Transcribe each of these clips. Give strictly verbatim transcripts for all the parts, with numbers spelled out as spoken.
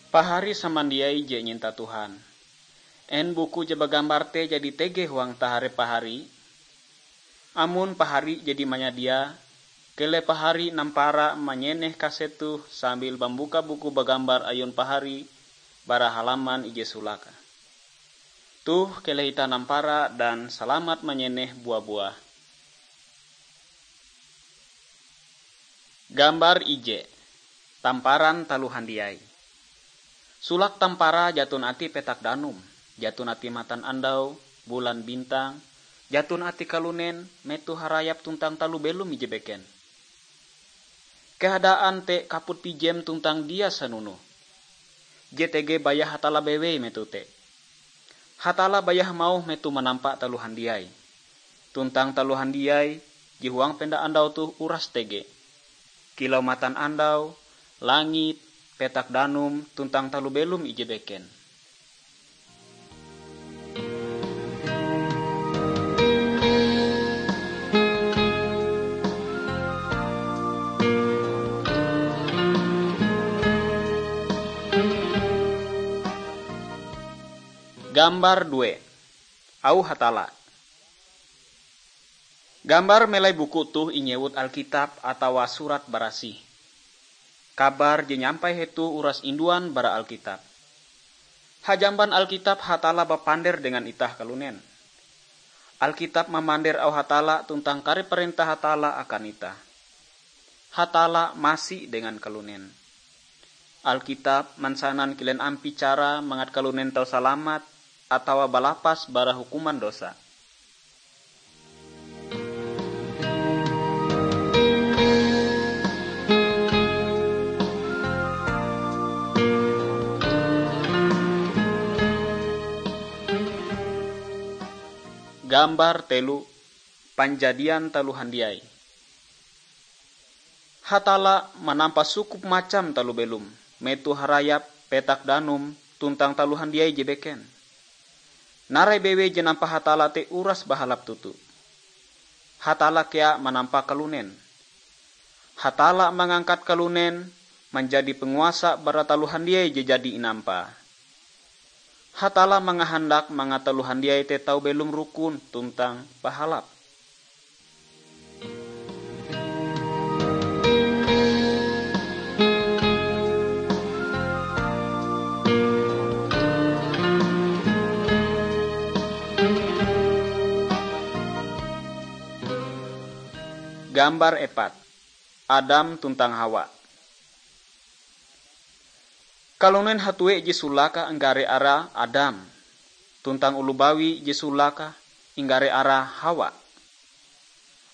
Pahari samandiai je nyinta Tuhan, en buku je bagambar te jadi tege huang taharep pahari? Amon pahari jadi manyadia, keleh pahari nampara manyeneh kaset toh sambil mambuka buku bagambar ayun pahari bara halaman ije solake. Toh, keleh itah nampara dan salamat manyeneh bua-buah. Gambar ije. Tamparan taloh handiai. Solake tamparae jaton atie petak danum, jaton atie matanandau, bulan, bintang, jaton atie kalunen, metoh harayap tuntang taloh belom ije beken. Keadaan te kaput pijem tuntang dia sanunoh. Je tege baya Hatalla bewei metoh te. Hatalla baya hamauh metoh manampa taloh handiai. Tuntang taloh handiai je huang penda andau toh uras tege. Kilau matanandau, langit, petak danum, tuntang taloh belom ije beken. Gambar due. Auh Hatalla. Gambar melai buku toh inyewut Alkitab atawa Surat Barasih. Kabar je nyampai hetoh uras induan bara Alkitab. Hajamban Alkitab Hatalla bapander dengan itah kalunen. Alkitab mamander auh Hatalla tuntang kare parentah Hatalla akan itah. Hatalla masi dengan kalunen. Alkitab mansanan kilen ampie cara mangat kalunen tau salamat atawa balapas bara hukuman dosa. Gambar telu. Panjadian taloh handiai. Hatalla manampa sukup macam taloh belom, metoh harayap, petak danum, tuntang taloh handiai je beken. Narai bewei je nampa Hatalla te uras bahalap toto. Hatalla kea manampa kalunen. Hatalla mangangkat kalunen manjadi panguasa bara taloh handiai je jadi inampae. Hatalla mangahandak mangat taloh handiai te tau belom rukun tuntang bahalap. Gambar epat. Adam tuntang Hawa. Kalunen hatue ije solake inggare arae Adam, tuntang oloh bawi ije solake inggare arae Hawa.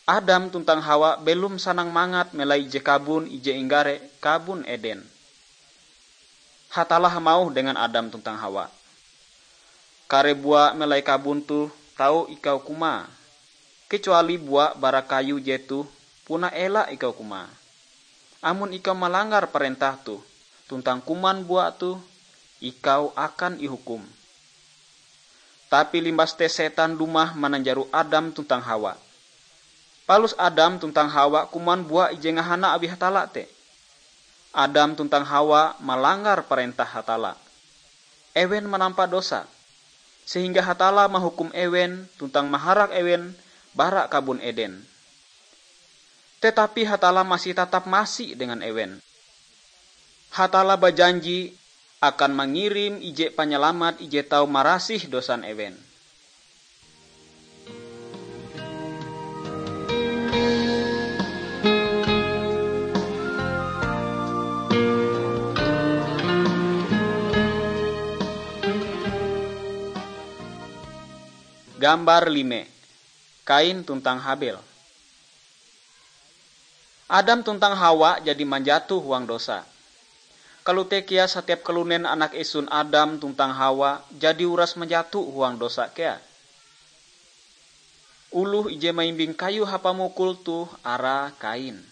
Adam tuntang Hawa belom sanang mangat melai ije kabon ije inggare Kabon Eden. Hatalla hamauh dengan Adam tuntang Hawa, "Kare bua melai kabon toh tau ikau kumae, kecuali bua bara kayu jetoh puna ela ikau kumae. Amon ikau malanggar parentah toh tuntang kuman bua toh, ikau akan ihukum." Tapi limbas te setan dumah mananjaro Adam tuntang Hawa. Palus Adam tuntang Hawa kuman bua ije ngahana awi Hatalla te. Adam tuntang Hawa malanggar parentah Hatalla. Ewen manampa dosa, sehingga Hatalla mahukum ewen tuntang maharak ewen bara Kabon Eden. Tetapi Hatalla masih tatap masi dengan ewen. Hatalla bajanji akan mangirim ije Panyalamat ije tau marasih dosan ewen. Gambar lime. Kain tuntang Habel. Adam tuntang Hawa jadi manjato huang dosa. Kalote kea satiap kalunen anak esun Adam tuntang Hawa jadi uras manjato huang dosa kea. Oloh ije maimbing kayu hapamukul toh arae Kain.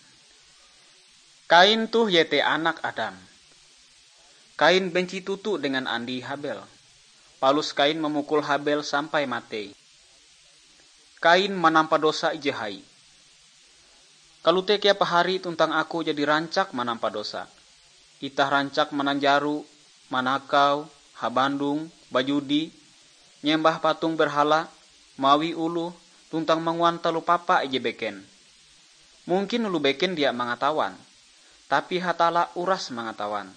Kain toh iete anak Adam. Kain benci toto dengan andie Habel. Palus Kain mamukul Habel sampai matei. Kain manampa dosa ije hai. Kalote kea pahari tuntang aku jadi rancak manampa dosa. Itah rancak mananjaro manakau, habandong, bajudi, nyembah patung berhala, mawi oloh, tuntang manguan taloh papa ije beken. Mungkin oloh beken dia mangatawan, tapi Hatalla uras mangatawan.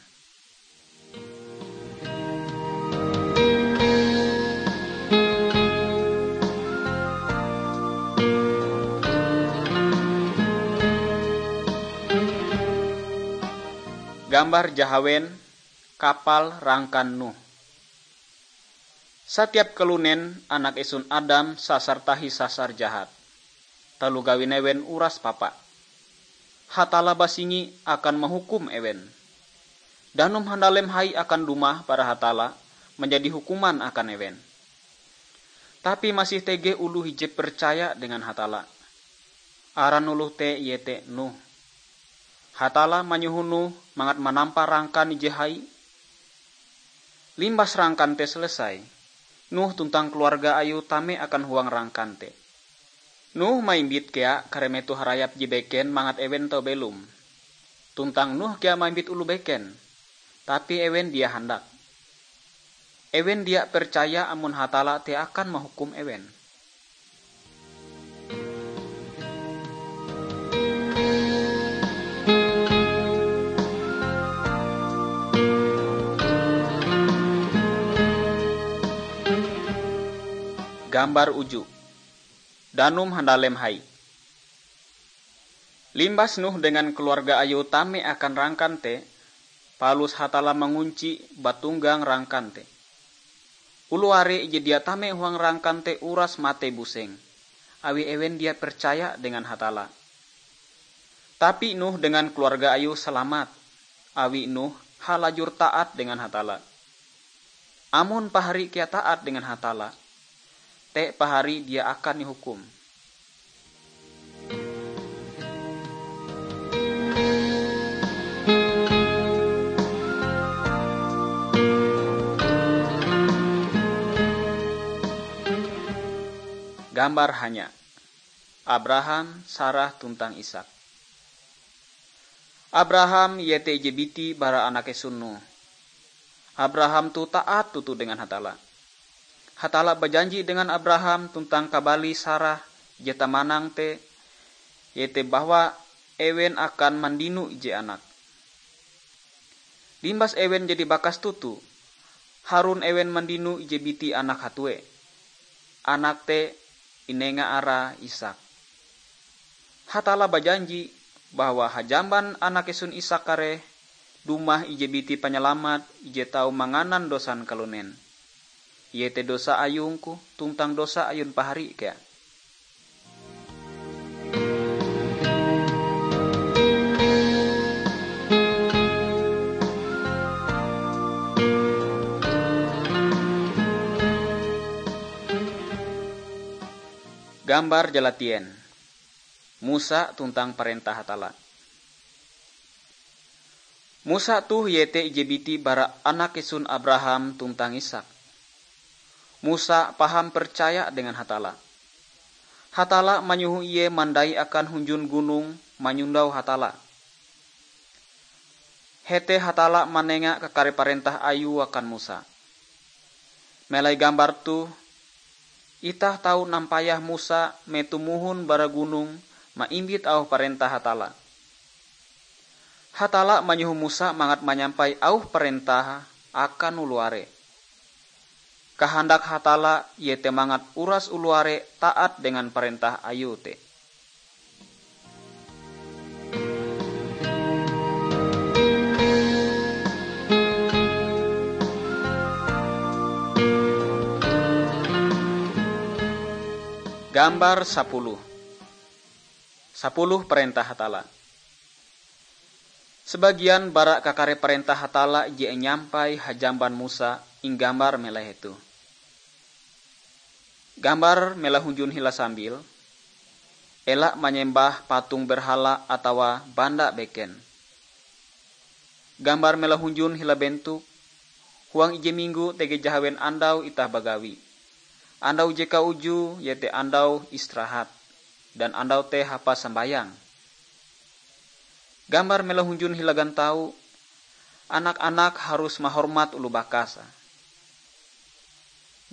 Gambar jahawen, kapal rangkan Nuh. Satiap kalunen anak esun Adam sasar tahi sasar jahat. Taloh gawin ewen uras papa. Hatalla basingi akan mahukum ewen. Danum handalem hai akan dumah bara Hatalla manjadi hukuman akan ewen. Tapi masih tege oloh ije percaya dengan Hatalla. Aran oloh te iete Nuh. Hatalla manyoho Nuh mangat manampa rangkan ije hai. Limbas rangkan te selesai, Nuh tuntang keluarga ayue tame akan huang rangkan te. Nuh maimbit kea kare meto harayap je beken mangat ewen tau belom. Tuntang Nuh kea maimbit oloh beken, tapi ewen dia handak. Ewen dia percaya amon Hatalla te akan mahukum ewen. Gambar uju. Danum handalem hai. Limbas Nuh dengan keluarga ayue tame akan rangkan te, palus Hatalla mangunci batunggang rangkan te. Oloh are ije dia tame huang rangkan te uras matei buseng, awi ewen dia percaya dengan Hatalla. Tapi Nuh dengan keluarga ayue salamat, awi Nuh halajur taat dengan Hatalla. Amon pahari kea taat dengan Hatalla, te pahari dia akan ihukum. Gambar hanya. Abraham, Sarah, tuntang Ishak. Abraham iete ije biti bara anak esun Nuh. Abraham toh taat toto dengan Hatalla. Hatalla bajanji dengan Abraham tuntang kabalie Sarah je tamanang te, iete bahwa ewen akan mandino ije anak. Limbas ewen jadi bakas toto, harun ewen mandino ije biti anak hatue. Anak te inenga arae Ishak. Hatalla bajanji bahwa hajamban anak esun Ishak kareh, dumah ije biti panyalamat ije tau manganan dosan kalunen, iete dosa ayungku tuntang dosa ayun pahari kea. Gambar jalatien. Musa tuntang parentah Hatalla. Musa toh iete ije biti bara anak esun Abraham tuntang Ishak. Musa paham percaya dengan Hatalla. Hatalla manyoho ie mandai akan hunjun gunong manyondau Hatalla. Hete Hatalla manenga kakare parentah Ayue akan Musa. Melai gambar toh, itah tau nampayah Musa metoh mohon bara gunong maimbit auh parentah Hatalla. Hatalla manyoho Musa mangat manyampai auh parentah akan oloh are. Kahandak Hatalla iete mangat uras oloh are taat dengan parentah Ayue te. Gambar sapuluh. Sapuluh parentah Hatalla. Sabagian bara kakare parentah Hatalla je inyampai hajamban Musa inggambar melai hetoh. Gambar melai hunjun hila sambil, ela manyembah patung berhala atawa banda beken. Gambar melai hunjun hila bentuk, huang ije minggo tege jahawen andau itah bagawi. Andau je kaujue iete andau istirahat, dan andau te hapan sambayang. Gambar melai hunjun hila gantau, Anak-anak harus mahormat oloh bakas.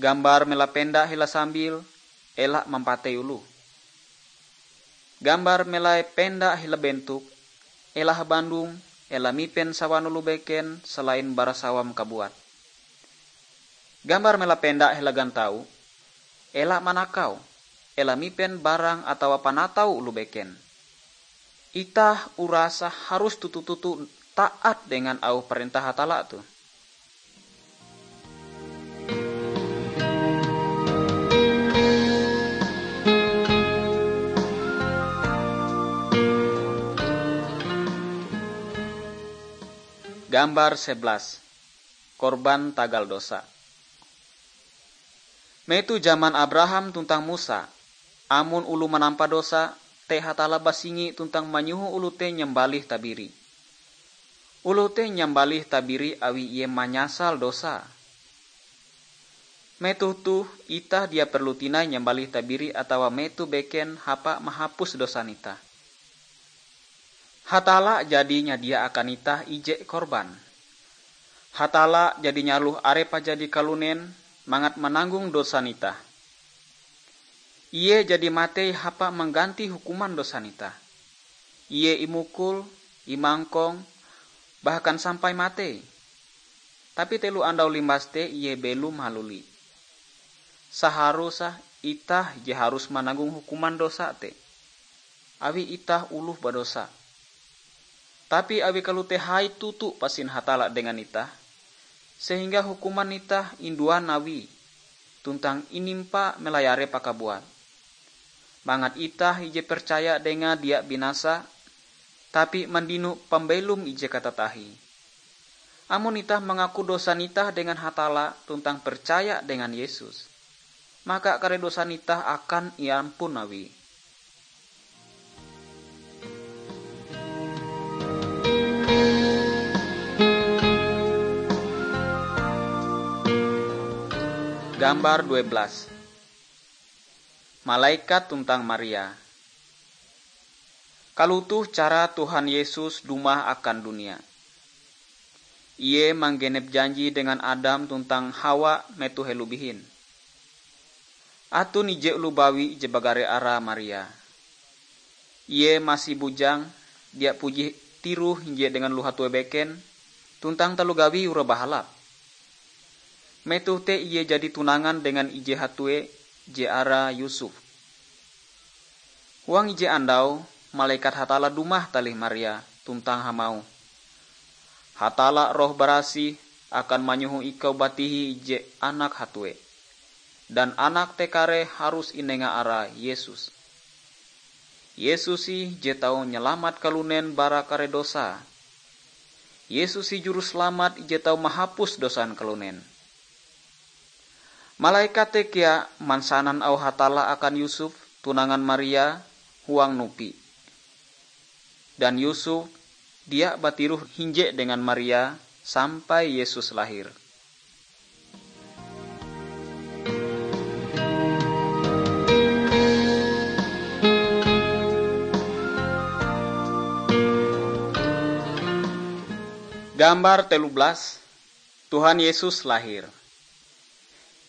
Gambar mela penda hila sambil, ela mampatei oloh. Gambar melai penda hila bentuk, ela habandong, ela mipen sawan oloh beken selain bara sawam kabuat. Gambar mela penda hila gantau, ela manakau, ela mipen barang atawa panatau oloh beken. Itah urasa harus toto-toto taat dengan auh parentah Hatalla toh. Gambar sebelas. Korban tagal dosa. Metoh jaman Abraham tuntang Musa, amon oloh manampa dosa, te Hatalla basingi tuntang manyoho oloh te nyambalih tabiri. Oloh te nyambalih tabiri awi ie manyasal dosa. Metoh toh, itah dia perlu tinai nyambalih tabiri atawa metoh beken hapa mahapus dosan itah. Hatalla jadi nyadia akan itah ije korban. Hatalla jadi nyaloh Arepe jadi kalunen mangat mananggong dosan itah. Ie jadi matei hapa mangganti hukuman dosan itah. Ie imukul, imangkong, bahkan sampai matei. Tapi telo andau limbas te ie belom haluli. Saharusah itah je harus mananggong hukuman dosa te, awi itah oloh badosa. Tapi awi kalote hai toto pasin Hatalla dengan itah, sehingga hukuman itah induan Awie, tuntang inimpa melai Arepe kabuat, mangat itah ije percaya Dengae dia binasa, tapi mandino pambelom ije katatahie. Amon itah mangaku dosan itah dengan Hatalla tuntang percaya dengan Yesus, maka kare dosan itah akan iampun Awie. Gambar dua belas. Malaikat tuntang Maria. Kalotoh cara Tuhan Yesus dumah akan dunia. Ie manggenep janji dengan Adam tuntang Hawa metoh helo bihin. Aton ije oloh bawi je bagare arae Maria. Ie masih bujang, dia puji tiroh hinje dengan oloh hatue beken, tuntang taloh gawie uroe bahalap. Metoh te ie jadi tunangan dengan ije hatue je arae Yusuf. Huang ije andau, malekat Hatalla dumah talih Maria tuntang hamauh, "Hatalla Roh Barasih akan manyoho ikau batihi ije anak hatue, dan anak te kareh harus inenga arae Yesus. Yesus ih je tau nyalamat kalunen bara kare dosa. Yesus ih Juruselamat ije tau mahapus dosan kalunen." Malekat te kea mansanan auh Hatalla akan Yusuf, tunangan Maria, huang nupi. Dan Yusuf dia batiroh hinje dengan Maria sampai Yesus lahir. Gambar telu belas, Tuhan Yesus lahir.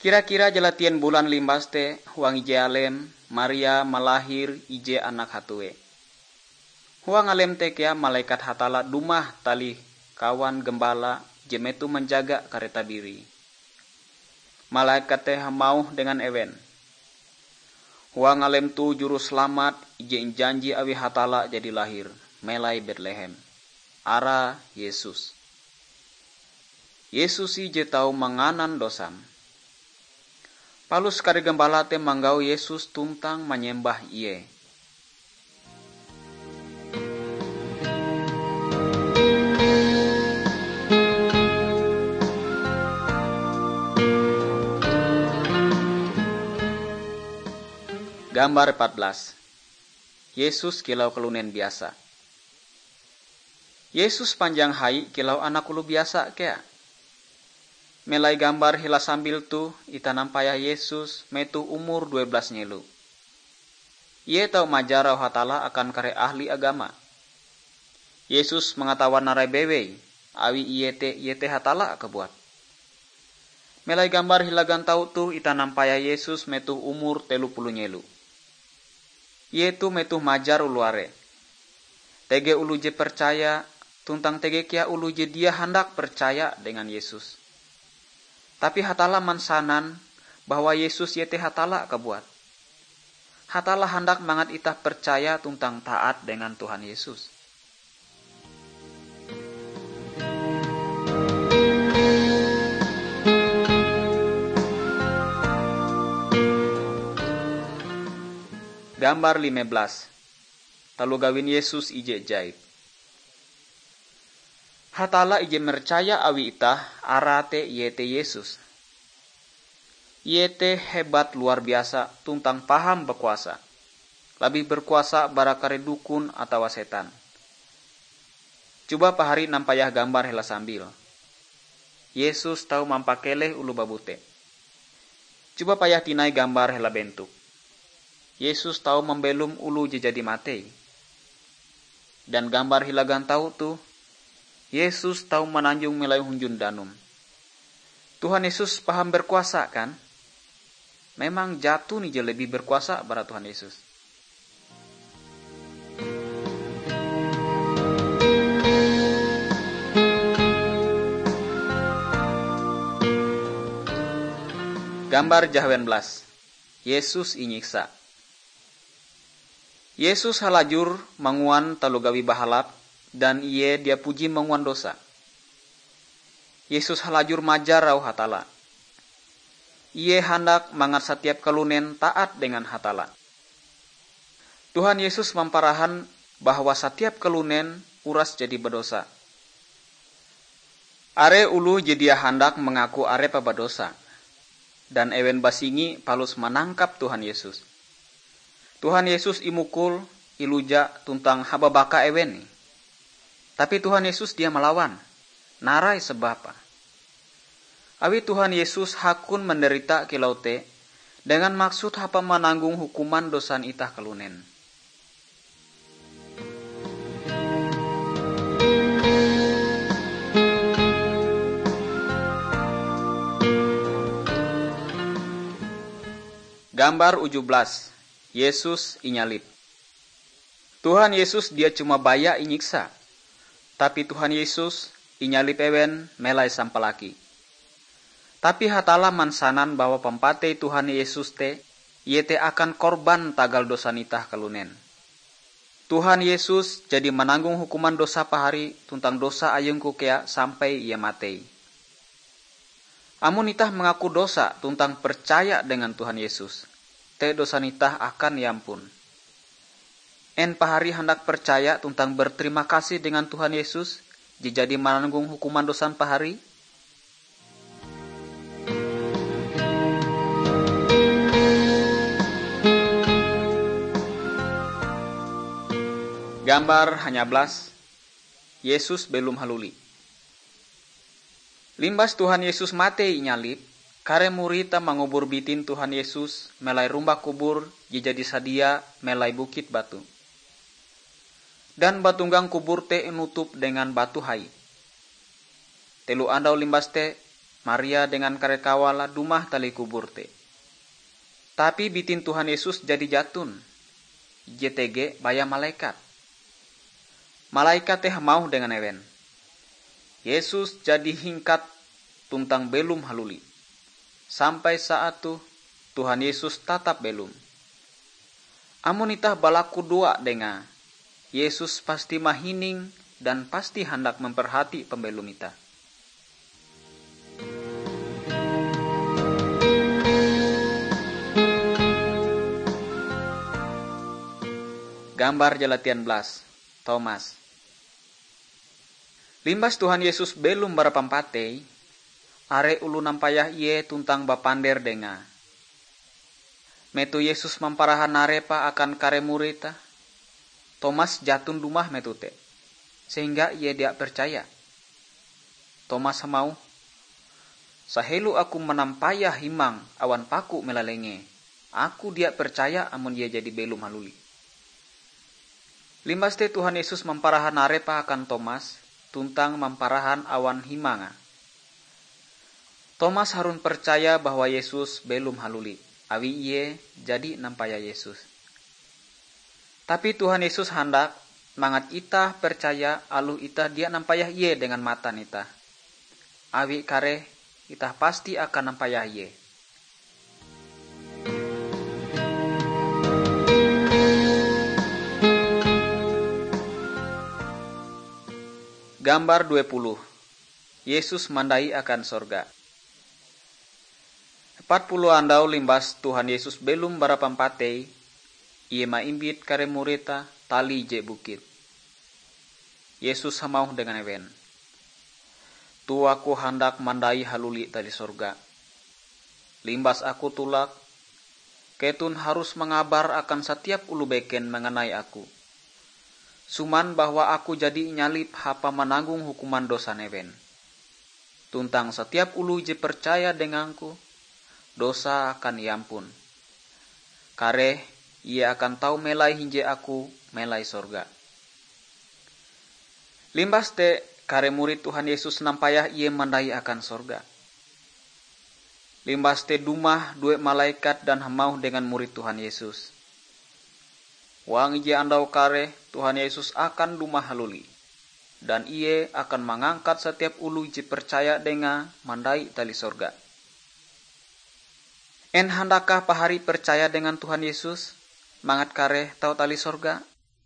Kira-kira jalatien bulan limbas te, huang ije alem, Maria malahir ije anak hatue. Huang alem te kea malekat Hatalla dumah talih kawan gembala je metoh manjaga kare tabiri. Malekat te hamauh dengan ewen, "Huang alem toh Juruselamat ije injanji awi Hatalla jadi lahir, melai Betlehem. Arae Yesus. Yesus ih je tau manganan dosam." Palus kare gembala te manggau Yesus tuntang manyembah Ie. Gambar empat belas. Yesus kilau kalunen biasa. Yesus panjang hai kilau anak oloh biasa kea. Melai gambar hila sambil toh, itah nampayah Yesus metoh umur due belas nyelo. Ie tau majar auh Hatalla akan kare ahli agama. Yesus mangatawan narai bewei, awi ie te iete Hatalla kabuat. Melai gambar hila gantau toh itah nampayah Yesus metoh umur telo puluh nyelo. Ie toh metoh majar oloh are. Tege oloh je percaya, tuntang tege kea oloh je dia handak percaya dengan Yesus. Tapi Hatalla mansanan bahwa Yesus iete Hatalla kabuat. Hatalla handak mangat itah percaya tuntang taat dengan Tuhan Yesus. Gambar lime belas. Taloh gawin Yesus ije ajaib. Hatalla ije mercaya awi itah, arae te iete Yesus. Ie te hebat luar biasa tuntang paham bakuasa, labih berkuasa bara kare dukun atawa setan. Coba pahari nampayah gambar hela sambil. Yesus tau mampakeleh oloh babute. Coba payah tinai gambar hela bentuk. Yesus tau mambelom oloh je jadi matei. Dan gambar hila gantau toh, Yesus tau mananjong melai hunjun danum. Tuhan Yesus paham berkuasa, kan? Memang jaton ije lebih berkuasa bara Tuhan Yesus. Gambar jahawen belas. Yesus inyiksa. Yesus halajur manguan taloh gawi bahalap, dan Ie dia puji manguan dosa. Yesus halajur majar auh Hatalla. Ie handak mangat satiap kalunen taat dengan Hatalla. Tuhan Yesus mamparahan bahwa satiap kalunen uras jadi badosa. Are oloh je dia handak mangaku arepe badosa, dan ewen basingi palus manangkap Tuhan Yesus. Tuhan Yesus imukul, iluja, tuntang hababaka ewen ih. Tapi Tuhan Yesus dia malawan. Narai sababe. Awi Tuhan Yesus hakon manderita kilau te dengan maksud hapan mananggong hukuman dosan itah kalunen. Gambar uju belas. Yesus inyalib. Tuhan Yesus dia cuma baya inyiksa, tapi Tuhan Yesus inyalib ewen melai sampalaki. Tapi Hatalla mansanan bahwa pampatei Tuhan Yesus te, iete akan korban tagal dosan itah kalunen. Tuhan Yesus jadi mananggong hukuman dosa pahari tuntang dosa ayungku kea sampai Ie matei. Amon itah mangaku dosa tuntang percaya dengan Tuhan Yesus, te dosan itah akan iampun. En pahari handak percaya tuntang berterima kasih dengan Tuhan Yesus je jadi mananggong hukuman dosan pahari? Gambar hanya belas. Yesus belom haluli. Limbas Tuhan Yesus matei inyalib, kare murid te mangubur bitin Tuhan Yesus melai rumbak kubur je jadi sadia melai bukit batu. Dan batunggang kubur te inutup dengan batu hai. Telo andau limbas te, Maria dengan kare kawale dumah talih kubur te. Tapi bitin Tuhan Yesus jadi jaton, ije tege baya malekat. Malekat te hamauh dengan ewen, "Yesus jadi hingkat tuntang belom haluli. Sampai saat toh, Tuhan Yesus tatap belom." Amon itah balakudoa Dengae, Yesus pasti mahining dan pasti handak memperhati pambelom itah. Gambar jalatian belas. Tomas. Limbas Tuhan Yesus belom bara pampatei, are oloh nampayah Ie tuntang bapander Dengae. Metoh Yesus mamparahan arepe akan kare murid te, Tomas jaton dumah metoh te, sehingga ie dia percaya. Tomas hamauh, "Sahelo aku manampayah himang awan paku melalenge, aku dia percaya amon Ie jadi belom haluli." Limbas te Tuhan Yesus mamparahan arepe akan Tomas, tuntang mamparahan awan himanga. Tomas harun percaya bahwa Yesus belom haluli, awi ie jadi nampayah Yesus. Tapi Tuhan Yesus handak mangat itah percaya aloh itah dia nampayah Ie dengan matan itah. Awi kareh itah pasti akan nampayah Ie. Gambar dua puluh. Yesus mandai akan sorga. Empat puluh andau limbas Tuhan Yesus belom bara pampatei, Ie maimbit kare murid-Te tali ije bukit. Yesus hamauh dengan ewen, "Toh Aku handak mandai haluli tali sorga. Limbas Aku tulak, keton harus mangabar akan satiap oloh beken manganai Aku, suman bahwa Aku jadi inyalib hapan mananggong hukuman dosan ewen. Tuntang satiap oloh je percaya dengang-Ku, dosae akan iampun. Kareh ie akan tau melai hinje Aku melai sorga." Limbas te, kare murid Tuhan Yesus nampayah Ie mandai akan sorga. Limbas te dumah due malaikat dan hamauh dengan murid Tuhan Yesus, "Huang ije andau kareh Tuhan Yesus akan dumah haluli, dan Ie akan mangangkat satiap oloh je percaya Dengae mandai tali sorga." En handakkah pahari percaya dengan Tuhan Yesus mangat kareh tau tali sorga?